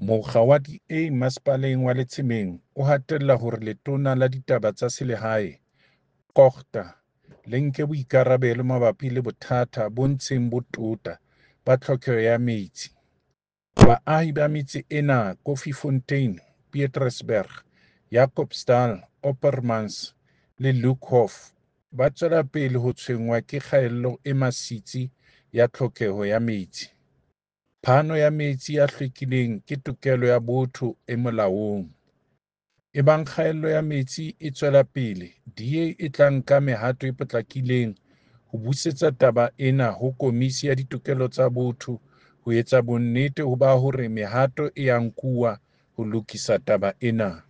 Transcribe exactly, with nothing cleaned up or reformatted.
Mokga wa D A Masepaleng wa Letsemeng o hatella hore Letona la Ditaba tsa Selehae, COGTA, le nke boikarabelo mabapi le bothata bo ntseng bo tota ba tlhokeho ya metsi. Baahi ba metse ena Koffiefontein, Petrusburg, Jacobsdal, Oppermans le Luckhoff ba tswela pele ho tshwenngwa ke kgaello e masitsi ya tlhokeho ya metsi. Phano ya metsi a hlwekileng ke tokelo ya botho e molaong. Ebang kgaello ya metsi e tswela pele, D A e tla nka mehato e potlakileng ho busetsa taba ena ho Komisi ya Ditokelo tsa Botho ho etsa bonnete ba hore mehato e a nkuwa ho lokisa taba ena.